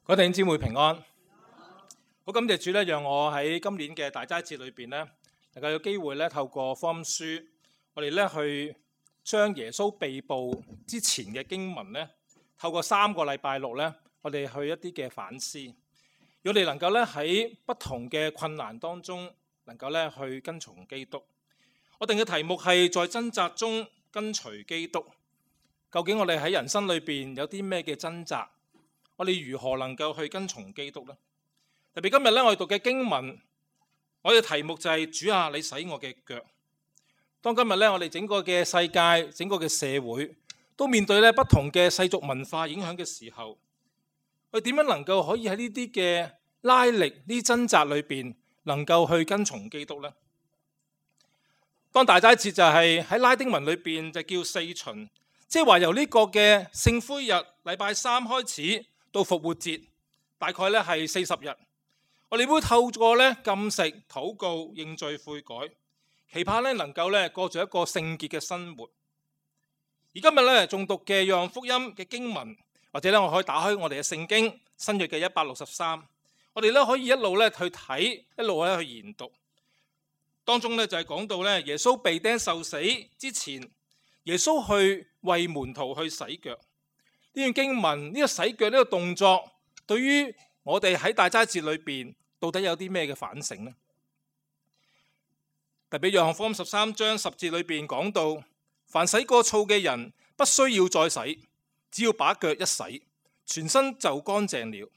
各位弟兄姊妹平安，好感謝主咧，讓我喺今年嘅大齋節裏邊咧，能夠有機會咧透過福音書，我哋咧去將耶穌被捕之前嘅經文咧，透過3個禮拜六咧，我哋去一啲嘅反思，我哋能夠咧喺不同嘅困難當中，能夠咧去跟從基督。我定嘅題目係在掙扎中跟隨基督。究竟我哋喺人生裏邊有啲咩嘅掙扎？我哋如何能夠去跟從基督呢？特別今日咧，我哋讀嘅經文，我哋嘅題目就係主啊，你洗我嘅腳。當今日咧，我哋整個嘅世界、整個嘅社會都面對咧不同嘅世俗文化影響嘅時候，我哋點樣能夠可以喺呢啲嘅拉力、呢啲掙扎裏邊，能夠去跟從基督呢？當大齋節就係喺拉丁文裏邊就叫四旬，即係話由呢個嘅聖灰日禮拜3開始，到復活節大概咧係40日，我哋會透過咧禁食、禱告、認罪悔改，期盼咧能夠咧過住一個聖潔嘅生活。而今日咧仲讀嘅約翰福音嘅經文，或者咧我可以打開我哋嘅聖經新約嘅163，我哋咧可以一路咧去睇，一路咧去研讀。當中咧就係講到咧耶穌被釘受死之前，耶穌去為門徒去洗腳。呢段經文，呢個洗腳呢個動作，對於我哋喺大齋節裏邊到底有啲咩嘅反省呢？特別約翰福音13章10節裏邊講到，凡洗過澡嘅人不需要再洗，只要把腳一洗，全身就乾淨了。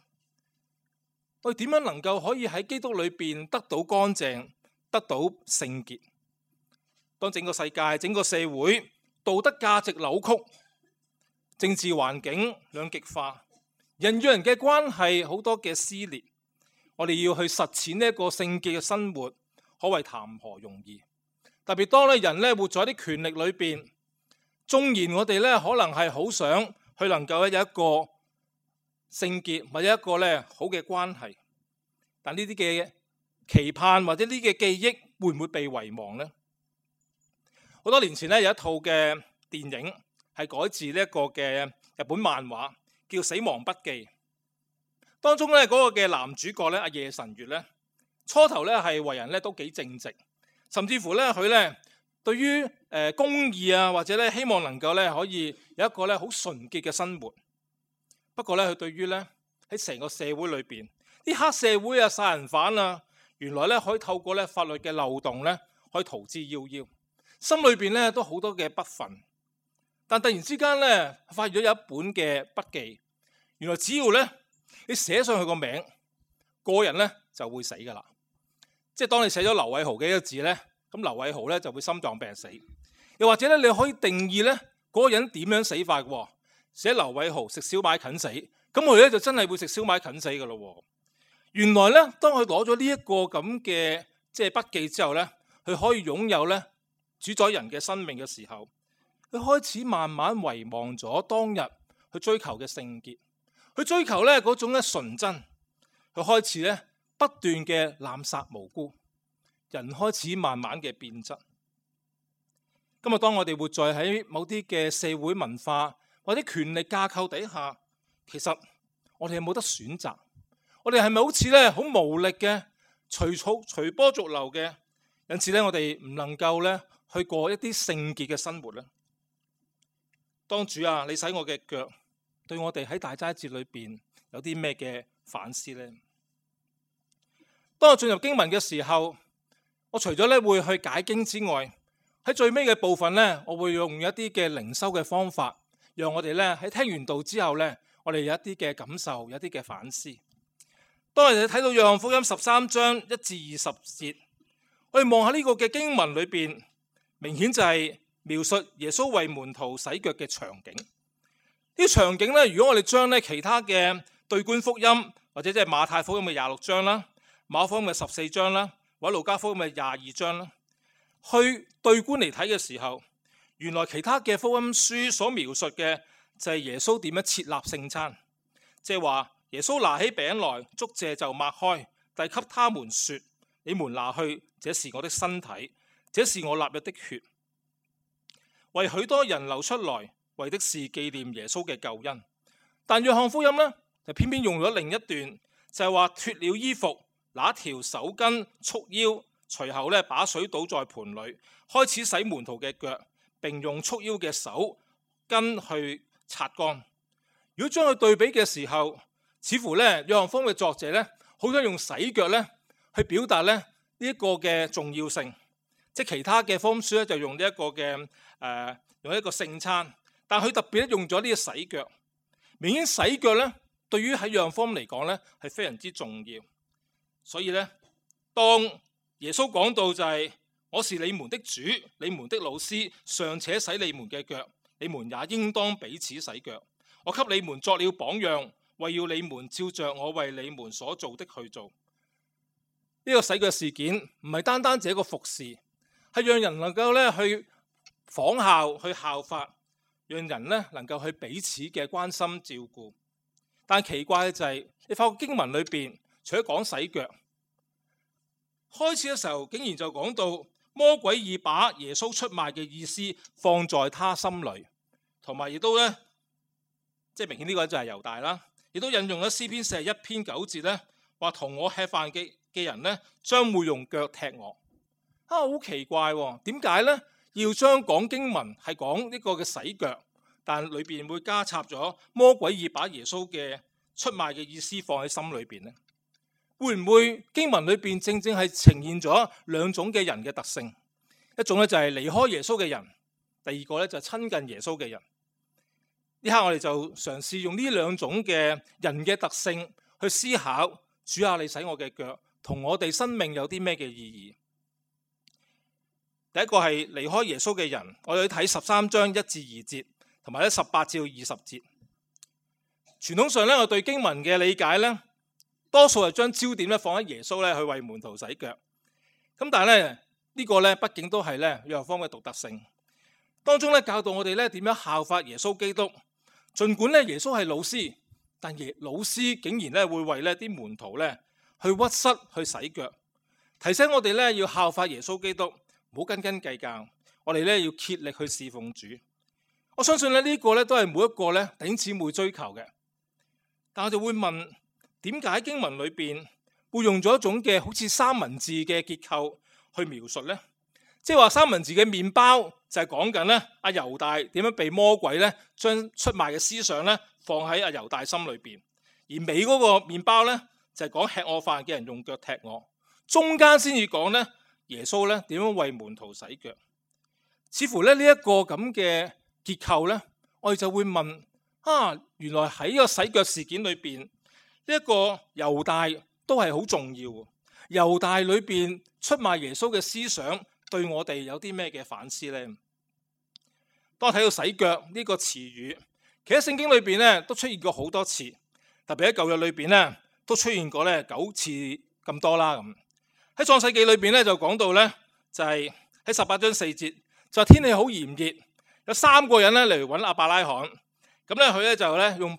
我哋點樣能夠可以喺基督裏邊得到乾淨，得到聖潔？當整個世界、整個社會道德價值扭曲，政治環境兩極化，人與人嘅關係好多嘅撕裂，我哋要去實踐呢一個聖潔嘅生活，可謂談何容易。特別當人咧活在啲權力裏邊，縱然我哋咧可能係好想去能夠有一個聖潔或者一個咧好嘅關係，但呢啲嘅期盼或者呢啲嘅記憶會唔會被遺忘呢？好多年前咧有一套嘅電影係改自呢一個嘅日本漫畫，叫《死亡筆記》。當中咧嗰個嘅男主角咧阿夜神月咧，初頭咧係為人咧都幾正直，甚至乎咧佢咧對於公義啊或者咧希望能夠咧可以有一個咧好純潔嘅生活。不過咧佢對於咧喺成個社會裏邊啲黑社會啊、殺人犯啊，原來咧可以透過咧法律嘅漏洞咧可以逃之夭夭，心裏邊咧都好多嘅不忿。但突然之間咧，發現咗有一本嘅筆記，原來只要咧你寫上去個名，個人咧就會死噶啦。即係當你寫咗劉偉豪嘅一個字咧，咁劉偉豪咧就會心臟病死。又或者咧，你可以定義咧嗰個人點樣死法嘅，寫劉偉豪食燒賣近死，咁佢咧就真係會食燒賣近死噶咯。原來咧，當佢攞咗呢一個咁嘅即係筆記之後咧，佢可以擁有咧主宰人嘅生命嘅時候，佢開始慢慢遺忘咗當日去追求嘅聖潔，去追求咧嗰種咧純真，佢開始咧不斷嘅濫殺無辜，人開始慢慢嘅變質。今日當我哋活在喺某啲嘅社會文化或者權力架構底下，其實我哋有冇得選擇？我哋係咪好似咧好無力嘅隨波逐流嘅？因此咧，我哋唔能夠咧去過一啲聖潔嘅生活咧。當主啊，你洗我嘅腳，對我哋喺大齋節裏邊有啲咩嘅反思呢？當我進入經文嘅時候，我除咗咧會去解經之外，喺最尾嘅部分咧，我會用一啲嘅靈修嘅方法，讓我哋咧喺聽完道之後咧，我哋有一啲嘅感受，有一啲嘅反思。當我哋睇到約翰福音13章1至20節，我哋望下呢個嘅經文裏邊，明顯就係描述耶穌為門徒洗腳嘅場景。呢啲場景咧，如果我哋將咧其他嘅對觀福音，或者即係馬太福音嘅26章啦、馬可福音嘅14章啦，或者路加福音嘅22章啦，去對觀嚟睇嘅時候，原來其他嘅福音書所描述嘅就係耶穌點樣設立聖餐，即係話耶穌拿起餅來，祝謝就擘開，遞給他們說：你們拿去，這是我的身體，這是我立約的血。為許多人流出來，為的是紀念耶穌嘅救恩。但約翰福音呢，就偏偏用咗另一段，就係話脫了衣服，拿條手巾束腰，隨後咧把水倒在盆裏，開始洗門徒嘅腳，並用束腰嘅手巾去擦乾。如果將佢對比嘅時候，似乎咧約翰福音嘅作者咧好想用洗腳咧去表達咧呢一個嘅重要性。即係其他嘅福音書咧就用呢一個嘅用一個聖餐，但佢特別咧用咗呢個洗腳。明顯洗腳咧對於喺約翰福音嚟講咧係非常之重要。所以咧當耶穌講到就係我是你們的主，你們的老師，尚且洗你們嘅腳，你們也應當彼此洗腳。我給你們作了榜樣，為要你們照着我為你們所做的去做。呢個洗腳事件唔係單單只一個服侍，係讓人能夠咧去仿效、去效法，讓人咧能夠去彼此嘅關心照顧。但奇怪嘅就係，你發覺經文裏邊除咗講洗腳，開始嘅時候竟然就講到魔鬼已把耶穌出賣嘅意思放在他心裏，同埋亦都咧即係明顯呢個就係猶大啦，亦都引用咗詩篇41篇9節咧，話同我吃飯嘅人咧將會用腳踢我。好奇怪喎，點解咧要將講經文係講呢個嘅洗腳，但裏邊會加插咗魔鬼已把耶穌嘅出賣嘅意思放喺心裏邊呢？會唔會經文裏邊正正係呈現咗兩種嘅人嘅特性？一種咧就係離開耶穌嘅人，第二個咧就係親近耶穌嘅人。呢刻我哋就嘗試用呢兩種嘅人嘅特性去思考，主啊，你洗我嘅腳，同我哋生命有啲咩嘅意義？第一個係離開耶穌嘅人，我哋去睇13章1至2節，同埋咧18至20節。傳統上咧，我對經文嘅理解咧，多數係將焦點咧放喺耶穌咧去為門徒洗腳。咁但係咧呢個咧，畢竟都係咧約翰福音嘅獨特性。當中咧教導我哋咧點樣效法耶穌基督。儘管咧耶穌係老師，但老師竟然咧會為呢啲門徒咧去屈膝去洗腳，提醒我哋咧要效法耶穌基督，唔好斤斤計較。我哋咧要竭力去侍奉主。我相信咧呢個咧都係每一個咧弟兄姊妹追求嘅。但我就會問，點解經文裏邊會用咗一種嘅好似三文治嘅結構去描述呢？即係話三文治嘅麵包就係講緊咧阿猶大點樣被魔鬼咧將出賣嘅思想咧放喺阿猶大心裏邊，而尾嗰個麵包咧就係講吃我飯嘅人用腳踢我，中間先至講咧耶穌咧點樣為門徒洗腳。似乎咧呢一個咁嘅結構咧，我哋就會問原來喺個洗腳事件裏邊，呢一個猶大都係好重要。猶大裏邊出賣耶穌嘅思想，對我哋有啲咩嘅反思呢？當我睇到洗腳呢個詞語，其實聖經裏邊咧都出現過好多次，特別喺舊約裏邊咧都出現過咧9次咁多啦。咁喺創世記裏邊咧就講到咧，就係喺18章4節，就天氣好炎熱，有3個人咧嚟揾亞伯拉罕，咁咧佢咧就咧用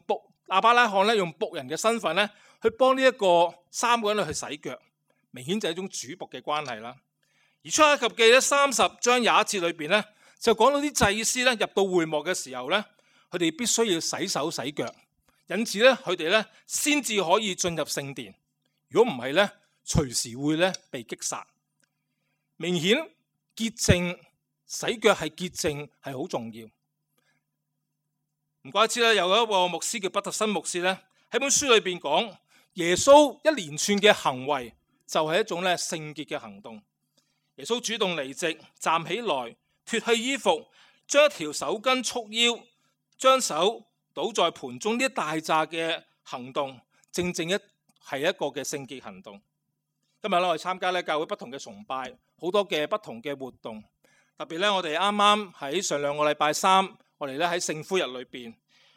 亞伯拉罕咧用僕人嘅身份咧去幫呢一個3個人去洗腳，明顯就係一種主僕嘅關係啦。而出埃及記咧30章21節裏邊咧，就講到啲祭司咧入到會幕嘅時候咧，佢哋必須要洗手洗腳，因此咧佢哋咧先至可以進入聖殿。如果唔係咧，隨時會咧被擊殺。明顯潔淨洗腳係潔淨係好重要。唔怪之咧，有一個牧師叫畢特森牧師咧喺本書裏邊講，耶穌一連串嘅行為就係一種咧聖潔嘅行動。耶穌主動離席，站起來，脫去衣服，將一條手巾束腰，將手倒在盆中，呢一大紮嘅行動，正正係一個嘅聖潔行動。今日我哋參加咧教會不同嘅崇拜，好多嘅不同嘅活動，特別咧我哋啱啱喺上2個禮拜3，我哋咧喺聖灰日裏邊，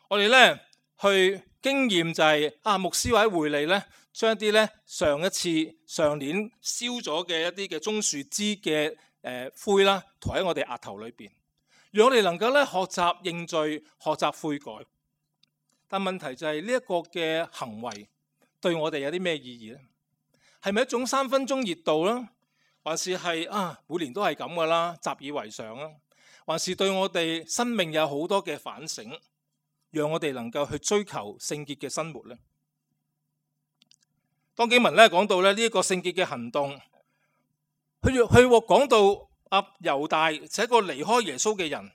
我哋咧去經驗就係牧師或者會理咧，將一啲咧上年燒咗嘅一啲嘅棕樹枝嘅灰啦，塗喺我哋額頭裏邊，讓我哋能夠咧學習認罪、學習悔改。但問題就係呢一個嘅行為對我哋有啲咩意義咧？係咪一種3分鐘熱度啦？還是係每年都係咁噶啦，習以為常啦？還是對我哋生命有好多嘅反省，讓我哋能夠去追求聖潔嘅生活呢？當經文咧講到咧呢一個聖潔嘅行動，佢講到猶大就係一個離開耶穌嘅人，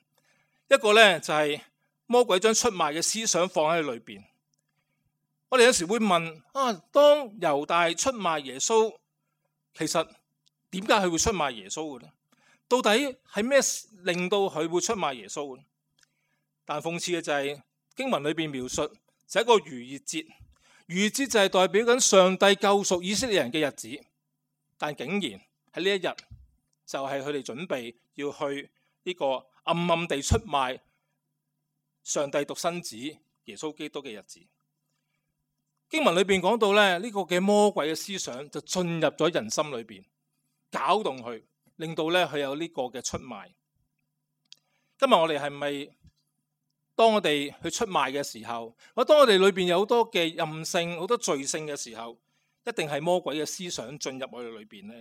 一個咧就係魔鬼將出賣嘅思想放喺裏邊。我哋有時會問當猶大出賣耶穌，其實點解佢會出賣耶穌嘅咧？到底係咩令到佢會出賣耶穌嘅？但諷刺嘅就係經文裏邊描述就係一個逾越節，逾越節就係代表緊上帝救贖以色列人嘅日子，但竟然喺呢一日就係佢哋準備要去呢個暗暗地出賣上帝獨生子耶穌基督嘅日子。經文裏邊講到咧，呢個嘅魔鬼嘅思想就進入咗人心裏邊，搞動佢，令到咧佢有呢個嘅出賣。今日我哋係咪當我哋去出賣嘅時候，或者當我哋裏邊有好多嘅任性、好多罪性嘅時候，一定係魔鬼嘅思想進入我哋裏邊呢？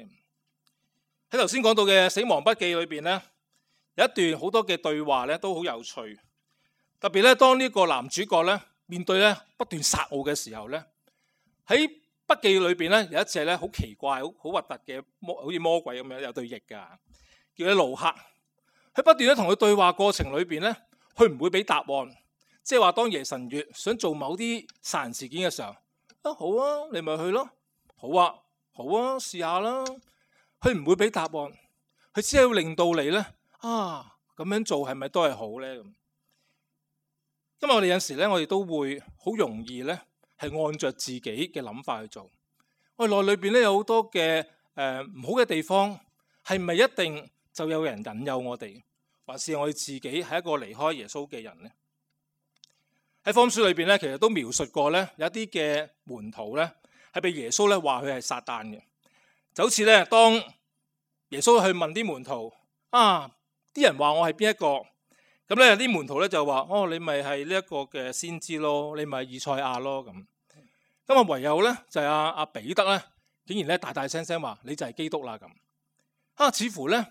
喺頭先講到嘅《死亡筆記》裏邊呢，有一段好多嘅對話咧都好有趣，特別咧當呢個男主角咧面對咧不斷殺戮嘅時候咧，喺筆記裏邊咧有一隻咧好奇怪、好核突嘅好似魔鬼咁樣有對翼噶，叫佢盧克。佢不斷咧同佢對話過程裏邊咧，佢唔會俾答案，即係話當夜神月想做某啲殺人事件嘅時候，好啊，你咪去咯，好啊，試下啦。佢唔會俾答案，佢只係要令到你咧咁樣做係咪都係好咧？咁今日我哋有時咧，我哋都會好容易咧係按着自己嘅諗法去做。我哋內裏邊咧有好多嘅唔好嘅地方，係咪一定就有人引誘我哋，還是我哋自己係一個離開耶穌嘅人呢？喺福音書裏邊咧，其實都描述過咧，有一啲嘅門徒咧係被耶穌咧話佢係撒旦嘅，就好似咧當耶穌去問啲門徒啲人話我係邊一個？咁咧啲門徒咧就話你咪係呢一個嘅先知咯，你咪係以賽亞咯咁。唯有咧就係阿彼得咧，竟然咧大大聲聲話你就係基督啦咁。似乎咧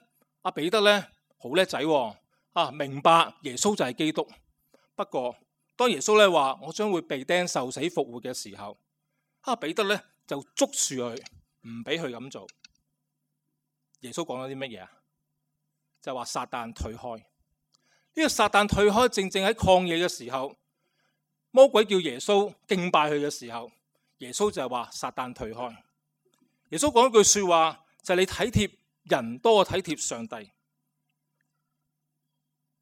阿彼得咧好叻仔明白耶穌就係基督。不過當耶穌咧話我將會被釘受死復活嘅時候，彼得咧就捉住佢，唔俾佢咁做。耶穌講咗啲乜嘢啊？就話撒旦退開。呢個撒旦退開，正正喺曠野嘅時候，魔鬼叫耶穌敬拜佢嘅時候，耶穌就係話撒旦退開。耶穌講一句說話，就係你體貼人多過體貼上帝。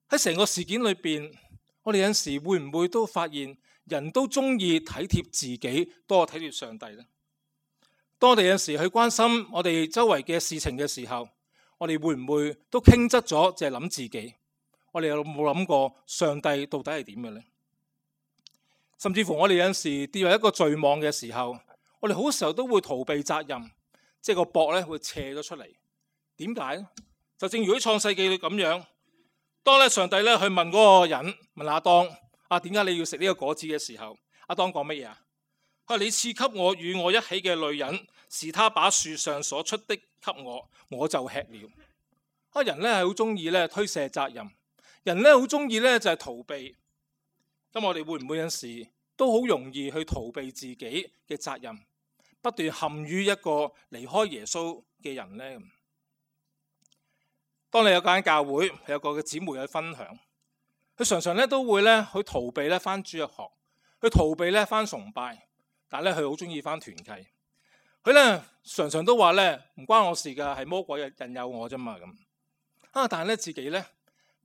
喺成個事件裏邊，我哋有時會唔會都發現人都中意體貼自己多過體貼上帝呢？當我哋有時去關心我哋周圍嘅事情嘅時候，我哋會唔會都傾側咗，淨係諗自己？我哋有冇諗過上帝到底係點嘅呢？甚至乎我哋有時跌入一個罪網嘅時候，我哋好多時候都會逃避責任，即係個膊咧會斜咗出嚟。點解咧？就正如喺創世記裏咁樣，當咧上帝咧去問嗰個人，問亞當點解你要食呢個果子嘅時候，亞當講乜嘢啊？你賜給我與我一起嘅女人，是他把樹上所出的給我，我就吃了。人咧係好中意咧推卸責任。人咧好中意咧就係逃避，咁我哋會唔會有時都好容易去逃避自己嘅責任，不斷陷於一個離開耶穌嘅人呢？當你有間教會有個嘅姊妹去分享，佢常常咧都會咧去逃避咧返主日學，去逃避咧返崇拜，但係咧佢好中意返團契。佢咧常常都話咧唔關我事噶，係魔鬼引誘我啫嘛咁。但係咧自己咧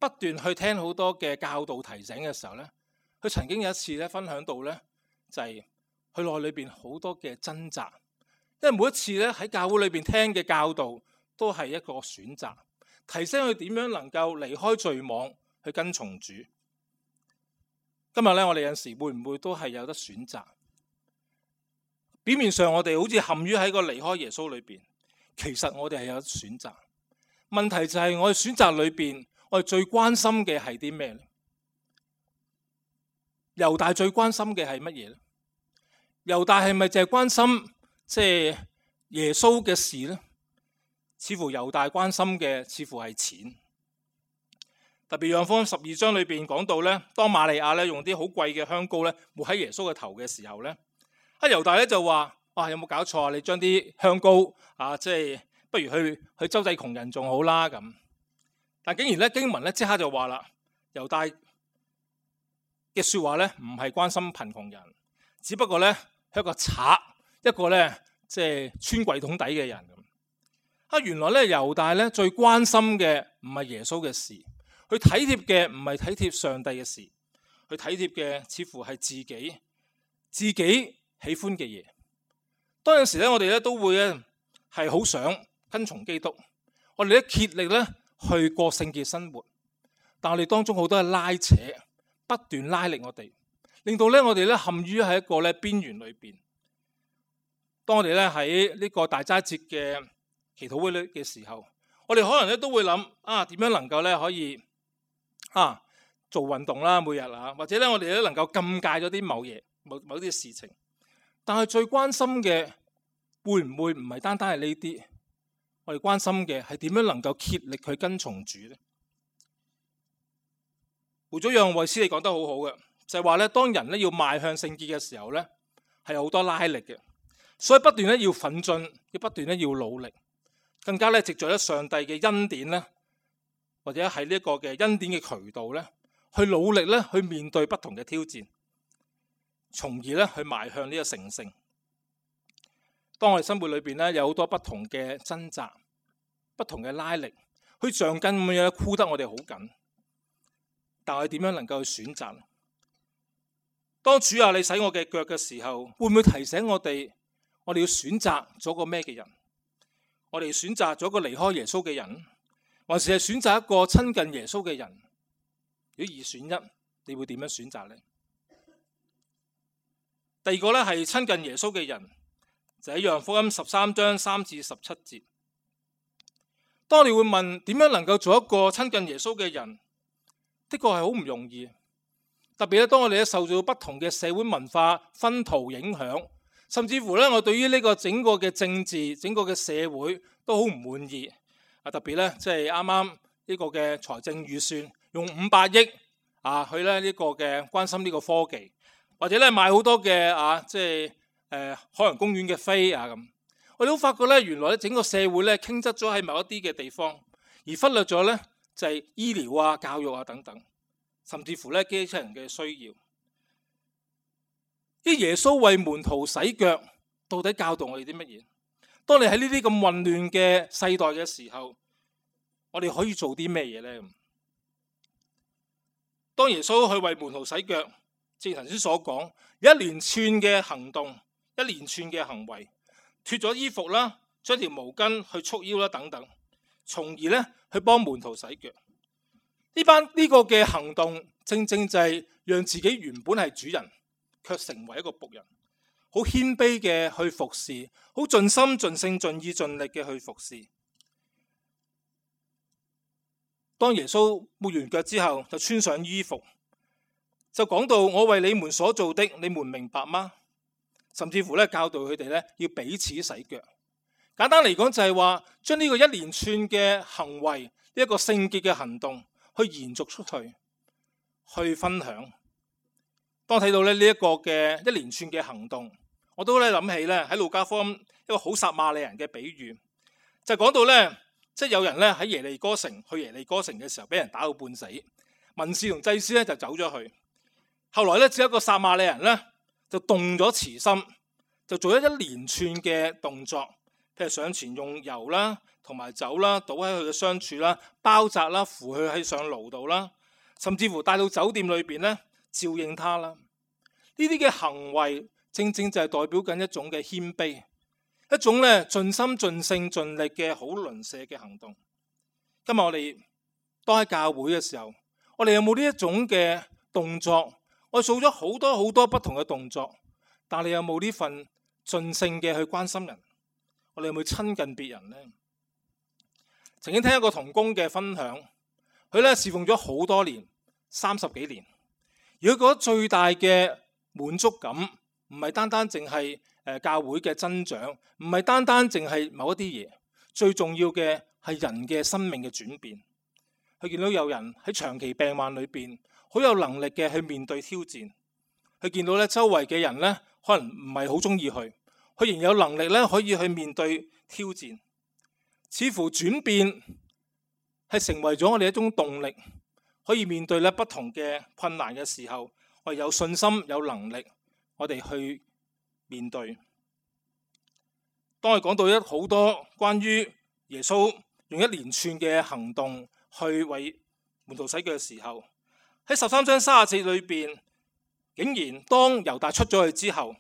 不斷去聽好多嘅教導提醒嘅時候咧，佢曾經有一次咧分享到咧，就係佢內裏邊好多嘅掙扎，因為每一次咧喺教會裏邊聽嘅教導都係一個選擇，提醒佢點樣能夠離開罪網去跟從主。今日咧我哋有時會唔會都係有得選擇？表面上我哋好似陷於喺個離開耶穌裏邊，其實我哋係有得選擇。問題就係我哋選擇裏邊，我哋最關心嘅係啲咩呢？猶大最關心嘅係乜嘢呢？猶大係咪淨係關心即係耶穌嘅事呢？似乎猶大關心嘅似乎係錢。特別約翰福音12章裏邊講到咧，當瑪利亞咧用啲好貴嘅香膏咧抹喺耶穌嘅頭嘅時候咧，猶大咧就話：有冇搞錯啊？你將啲香膏即係不如去周濟窮人仲好啦咁。但竟然咧經文咧即刻就話啦，猶大嘅說話咧唔係關心貧窮人，只不過咧係一個賊，一個咧即係穿櫃桶底嘅人咁。原來咧猶大咧最關心嘅唔係耶穌嘅事，佢體貼嘅唔係體貼上帝嘅事，佢體貼嘅似乎係自己喜歡嘅嘢。當有時咧我哋咧都會咧係好想跟從基督，我哋咧竭力咧去過聖潔生活，但我哋當中好多嘅拉扯，不斷拉力我哋，令到咧我哋咧陷於喺一個咧邊緣裏邊。當我哋咧喺呢個大齋節嘅祈禱會嘅時候，我哋可能咧都會諗點樣能夠咧可以做運動啦，每日或者咧我哋咧能夠禁戒咗啲某啲事情。但係最關心嘅會唔會唔係單單係呢啲？我哋關心嘅係點樣能夠竭力去跟從主呢？胡祖讓衛斯理講得好好嘅，就係話咧，當人咧要邁向聖潔嘅時候咧，係有好多拉力嘅，所以不斷咧要奮進，要不斷咧要努力，更加咧藉著上帝嘅恩典咧，或者喺呢一個嘅恩典嘅渠道咧，去努力咧去面對不同嘅挑戰，從而咧去邁向呢個成聖。當我哋生活裏邊咧有好多不同嘅掙扎、不同嘅拉力，去橡筋咁樣箍得我哋好緊，但係點樣能夠去選擇？當主你洗我嘅腳嘅時候，會唔會提醒我哋要選擇咗個咩嘅人？我哋選擇咗個離開耶穌嘅人，還是係選擇一個親近耶穌嘅人？如果二選一，你會點樣選擇呢？第二個咧係親近耶穌嘅人。就喺約翰福音13章3至17節，當你會問點樣能夠做一個親近耶穌嘅人，的確係好唔容易。特別咧，當我哋受到不同嘅社會文化熏陶影響，甚至乎咧，我對於呢個整個嘅政治、整個嘅社會都好唔滿意。特別咧，即係啱啱呢個嘅財政預算用500億去咧呢個嘅關心呢個科技，或者咧買好多嘅即係海洋公園嘅飛咁，我哋都發覺咧，原來咧整個社會咧傾側咗喺某一啲嘅地方，而忽略咗咧就係醫療教育等等，甚至乎咧基層人嘅需要。啲耶穌為門徒洗腳，到底教導我哋啲乜嘢？當你喺呢啲咁混亂嘅世代嘅時候，我哋可以做啲咩嘢咧？當耶穌去為門徒洗腳，正如頭先所講，有一連串嘅行動。一連串嘅行為，脫咗衣服啦，將條毛巾去束腰啦，等等，從而咧去幫門徒洗腳。呢個嘅行動，正正就係讓自己原本係主人，卻成為一個僕人，好謙卑嘅去服侍，好盡心盡性盡意盡力嘅去服侍。當耶穌抹完腳之後，就穿上衣服，就講到我為你們所做的，你們明白嗎？甚至乎咧教導佢哋咧要彼此洗腳。簡單嚟講就係話將呢個一連串嘅行為，呢一個聖潔嘅行動去延續出去，去分享。當睇到咧呢一個嘅一連串嘅行動，我都咧諗起咧喺路加福音一個好撒瑪利人嘅比喻，就講到咧即係有人咧喺耶利哥城去耶利哥城嘅時候，俾人打到半死，文士同祭司咧就走咗去。後來咧只有一個撒瑪利人咧，就動咗慈心，就做咗一連串嘅動作，譬如上前用油啦，同埋酒啦，倒喺佢嘅傷處啦，包紮啦，扶佢喺上驢度啦，甚至乎帶到酒店裏邊咧，照應他啦。呢啲嘅行為，正正就係代表緊一種嘅謙卑，一種咧盡心盡性盡力嘅好鄰舍嘅行動。今日我哋當喺教會嘅時候，我哋有冇呢一種嘅動作？我做咗好多不同嘅動作，但你有冇呢份盡性嘅去關心人？我哋有冇親近別人呢？曾經聽一個同工嘅分享，佢咧侍奉咗好多年，30幾年，而佢覺得最大嘅滿足感，唔係單單淨係教會嘅增長，唔係單單淨係某一啲嘢，最重要嘅係人嘅生命嘅轉變。佢見到有人喺長期病患裏邊，好有能力嘅去面對挑戰。佢見到咧周圍嘅人咧，可能唔係好中意佢，佢仍有能力咧可以去面對挑戰，似乎轉變係成為咗我哋一種動力，可以面對咧不同嘅困難嘅時候，我哋有信心有能力，我哋去面對。當我哋講到好多關於耶穌用一連串嘅行動去為門徒洗腳嘅時候，喺13章30節裏邊，竟然當猶大出咗去之後，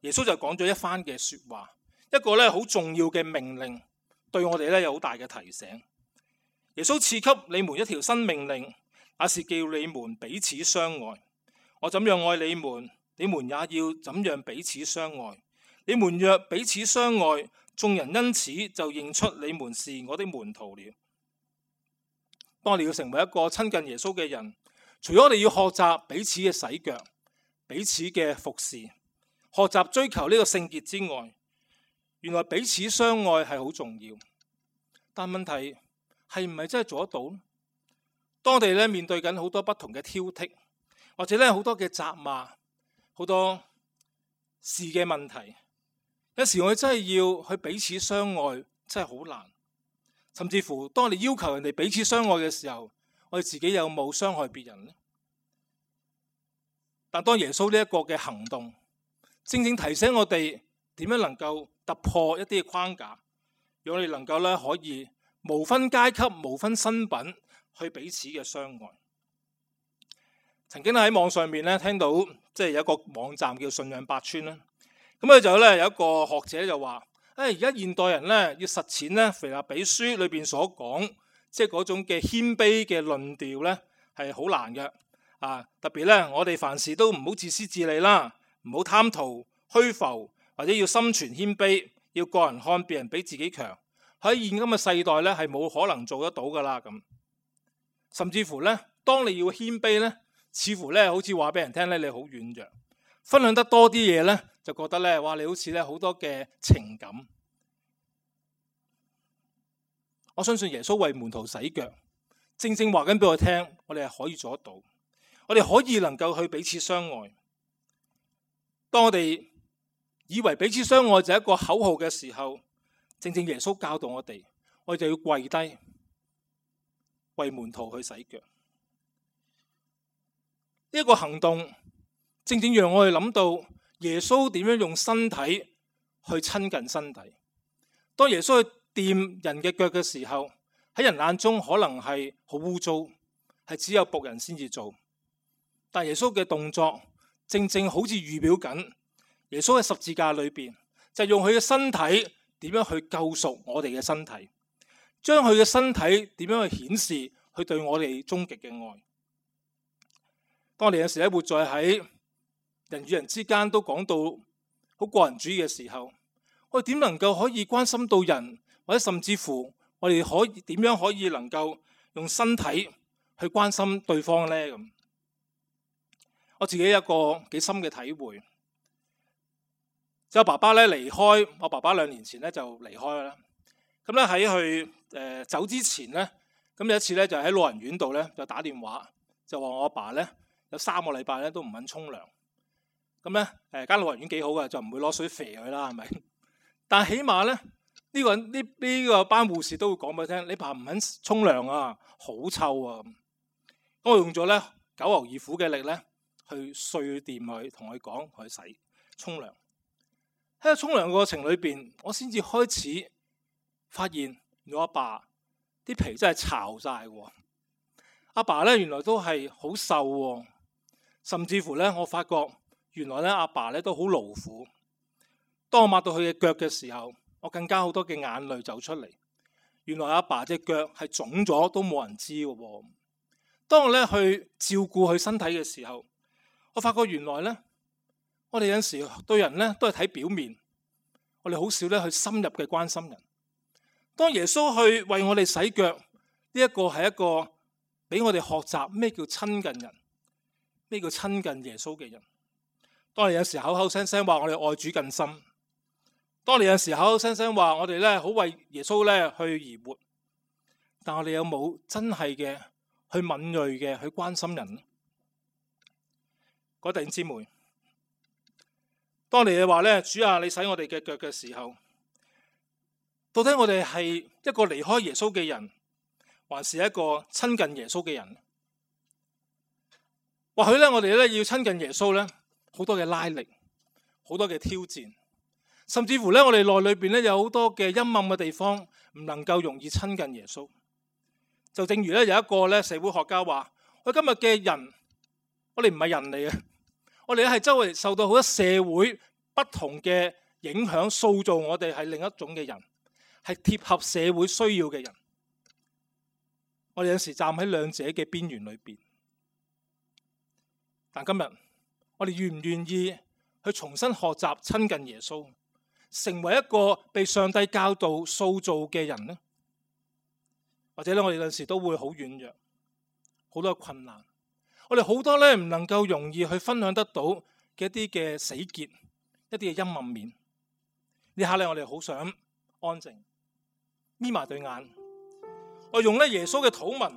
耶穌就講咗一番嘅說話，一個咧好重要嘅命令，對我哋咧有好大嘅提醒。耶穌賜給你們一條新命令，那是叫你們彼此相愛。我怎樣愛你們，你們也要怎樣彼此相愛。你們若彼此相愛，眾人因此就認出你們是我的門徒了。當你要成為一個親近耶穌嘅人，除咗我哋要學習彼此嘅洗腳、彼此嘅服侍、學習追求呢個聖潔之外，原來彼此相愛係好重要。但問題係唔係真係做得到呢？當我哋咧面對緊好多不同嘅挑剔，或者咧好多嘅責罵、好多事嘅問題，有時我哋真係要去彼此相愛，真係好難。甚至乎當我哋要求人哋彼此相愛嘅時候，我哋自己有冇傷害別人呢？但當耶穌呢一個嘅行動，正正提醒我哋點樣能夠突破一啲嘅框架，讓我哋能夠咧可以無分階級、無分身份去彼此嘅相愛。曾經喺網上面咧聽到，即係有一個網站叫信仰百川啦。咁佢就咧有一個學者就話：而家現代人咧要實踐咧腓立比書裏邊所講，即係嗰種嘅謙卑嘅論調咧係好難嘅。特別咧我哋凡事都唔好自私自利啦，唔好貪圖虛浮，或者要心存謙卑，要個人看別人比自己強。喺現今嘅世代咧係冇可能做得到噶啦咁。甚至乎咧，當你要謙卑咧，似乎咧好似話俾人聽咧你好軟弱，分享得多啲嘢咧，就覺得咧哇你好似咧好多嘅情感。我相信耶穌為門徒洗腳，正正話緊俾我聽，我哋係可以做得到，我哋可以能夠去彼此相愛。當我哋以為彼此相愛就係一個口號嘅時候，正正耶穌教導我哋，我哋就要跪低為門徒去洗腳。呢一個行動正正讓我哋諗到耶穌點樣用身體去親近身體。當耶穌去掂人嘅腳嘅時候，喺人眼中可能係好污糟，係只有僕人先至做。但耶穌嘅動作正正好似預表緊耶穌喺十字架裏邊就用佢嘅身體點樣去救贖我哋嘅身體，將佢嘅身體點樣去顯示佢對我哋終極嘅愛。當我哋有時咧活在喺人與人之間都講到好個人主義嘅時候，我哋點能夠可以關心到人，或者甚至乎我哋可以點樣可以能夠用身體去關心對方呢？咁我自己有一個幾深嘅體會，就爸爸咧離開，我爸爸2年前咧就離開啦。咁咧喺佢走之前咧，咁有一次咧就喺老人院度咧就打電話，就話我阿爸咧有3個禮拜咧都唔肯沖涼。咁咧間老人院幾好嘅，就唔會攞水肥佢啦，係咪？但係起碼咧呢個班護士都會講俾佢聽，你爸唔肯沖涼啊，好臭啊。咁我用咗咧九牛二虎嘅力咧去碎掂佢，同佢講佢洗沖涼。喺個沖涼過程裏邊，我先至開始發現我阿爸啲皮真係巢晒喎。阿爸咧原來都係好瘦喎，甚至乎咧我發覺原來咧阿爸咧都好勞苦。當我抹到佢嘅腳嘅時候，我更加好多嘅眼淚走出嚟。原來阿爸隻腳係腫咗都冇人知嘅喎。當我咧去照顧佢身體嘅時候，我發覺原來咧我哋有陣時對人咧都係睇表面，我哋好少咧去深入嘅關心人。當耶穌去為我哋洗腳，呢一個係一個俾我哋學習咩叫親近人，咩叫親近耶穌嘅人。當你有時口口聲聲話我哋愛主更深，當你有時口口聲聲話我哋咧好為耶穌咧去而活，但我哋有冇真係嘅去敏銳嘅去關心人呢？各位弟兄姊妹，當你話咧，主啊，你洗我哋嘅腳嘅時候，到底我哋係一個離開耶穌嘅人，還是一個親近耶穌嘅人？或許咧，我哋咧要親近耶穌咧，好多嘅拉力，好多嘅挑戰，甚至乎咧，我哋內裏邊咧有好多嘅陰暗嘅地方，唔能夠容易親近耶穌。就正如咧有一個咧社會學家話：我今日嘅人，我哋唔係人嚟嘅，我哋咧係周圍受到好多社會不同嘅影響，塑造我哋係另一種嘅人，係貼合社會需要嘅人。我哋有時站喺兩者嘅邊緣裏邊。但今日我哋願唔願意去重新學習親近耶穌，成為一個被上帝教導塑造嘅人呢？或者咧，我哋有陣時都會好軟弱，好多困難，我哋好多咧唔能夠容易去分享得到嘅一啲嘅死結，一啲嘅陰暗面。呢下咧，我哋好想安靜，眯埋對眼，我用咧耶穌嘅禱文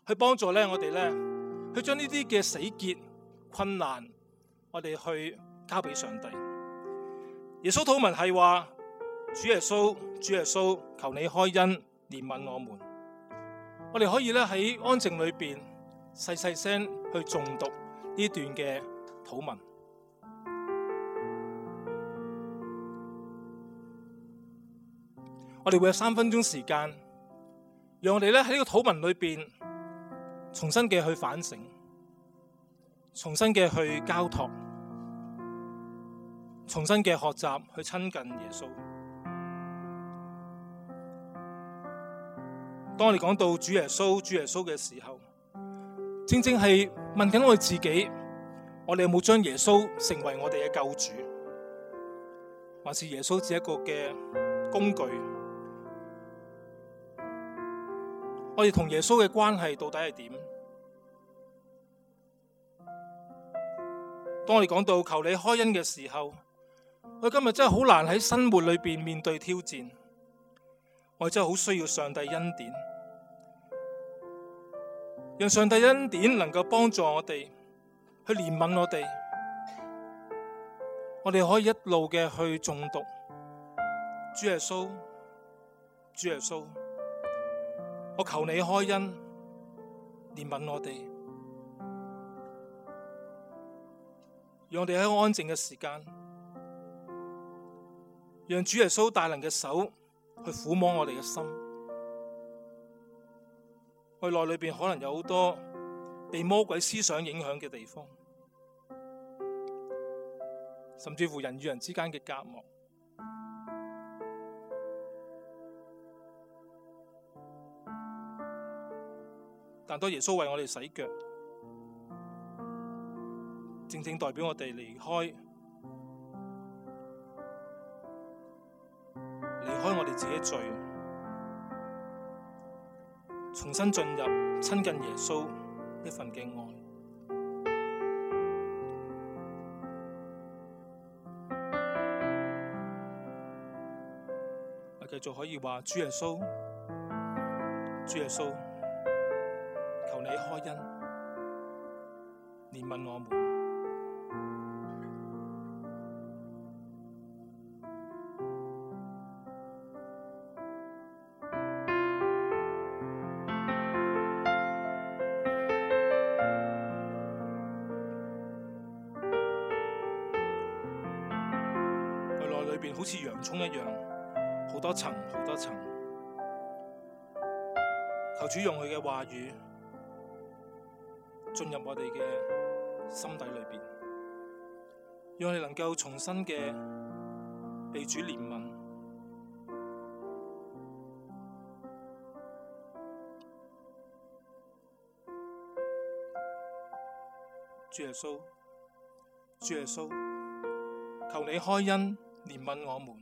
去幫助咧我哋咧去將呢啲嘅死結困難，我哋去交俾上帝。耶穌禱文係話：主耶穌，主耶穌，求你開恩憐憫我們。我哋可以咧喺安靜裏邊細細聲去誦讀呢段嘅禱文。我哋會有3分鐘時間，讓我哋咧喺呢個禱文裏邊重新嘅去反省，重新嘅去交託，重新嘅學習去親近耶穌。當我哋講到主耶穌嘅時候，正正係問緊我哋自己，我哋有冇將耶穌成為我哋嘅救主，還是耶穌只係一個嘅工具？我哋同耶穌嘅關係到底係點？當我哋講到求你開恩嘅時候，我哋今日真係好難喺生活裏邊面對挑戰，我哋真係好需要上帝恩典，讓上帝恩典能夠幫助我哋去憐憫我哋，我哋可以一路嘅去誦讀主耶穌，主耶穌，我求你開恩憐憫我哋，讓我哋喺安靜嘅時間，讓主耶穌大能嘅手去撫摸我哋嘅心。我哋內裏邊可能有好多被魔鬼思想影響嘅地方，甚至乎人與人之間嘅隔膜。但當耶穌為我哋洗腳，正正代表我哋離開我哋自己罪，重新進入親近耶穌一份嘅愛。我繼續可以話：主耶穌，主耶穌，求你開恩憐憫我們。好似洋蔥一樣，好多層，好多層。求主用佢嘅話語進入我哋嘅心底裏邊，讓我哋能夠重新嘅被主憐憫。主耶穌，主耶穌，求你開恩憐憫我們。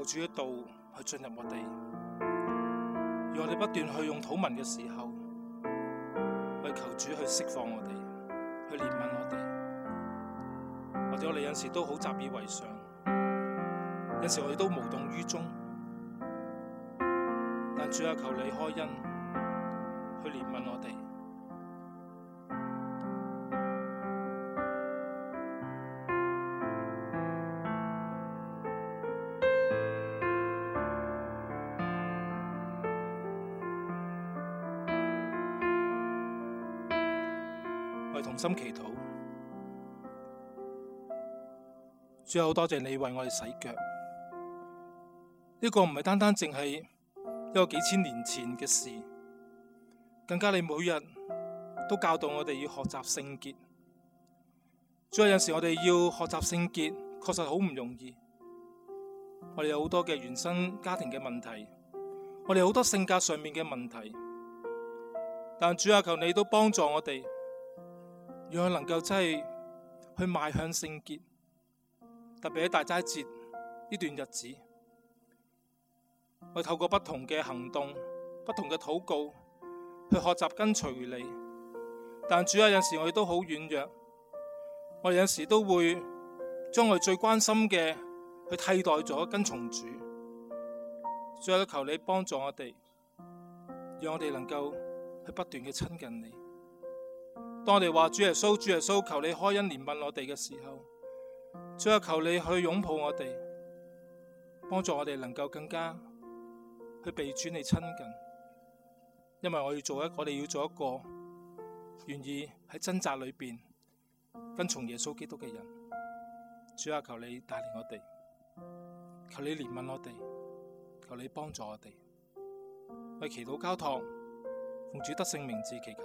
主嘅道去進入我哋，讓我哋不斷去用禱文嘅時候，去求主去釋放我哋，去憐憫我哋。或者我哋有時都好習以為常，有時我哋都無動於衷，但主啊，求你開恩去憐憫我哋。我哋同心祈禱，主啊，好多謝你為我哋洗腳。呢個唔係單單淨係一個幾千年前嘅事，更加你每日都教導我哋要學習聖潔。主啊，有時我哋要學習聖潔，確實好唔容易。我哋有好多嘅原生家庭嘅問題，我哋好多性格上面嘅問題，但主啊，求你都幫助我哋，讓我能夠真係去邁向聖潔。特別喺大齋節呢段日子，我透過不同嘅行動、不同嘅禱告去學習跟隨你。但主啊，有時我哋都好軟弱，我哋有時都會將我哋最關心嘅去替代咗跟從主。主啊，求你幫助我哋，讓我哋能夠去不斷嘅親近你。當我哋話主耶穌，主耶穌，求你開恩憐憫我哋嘅時候，主啊，求你去擁抱我哋，幫助我哋能夠更加去被主你親近。因為我哋要做一個願意喺掙扎裏邊跟從耶穌基督嘅人。主啊，求你帶領我哋，求你憐憫我哋，求你幫助我哋。為祈禱交託，奉主得勝名字祈求。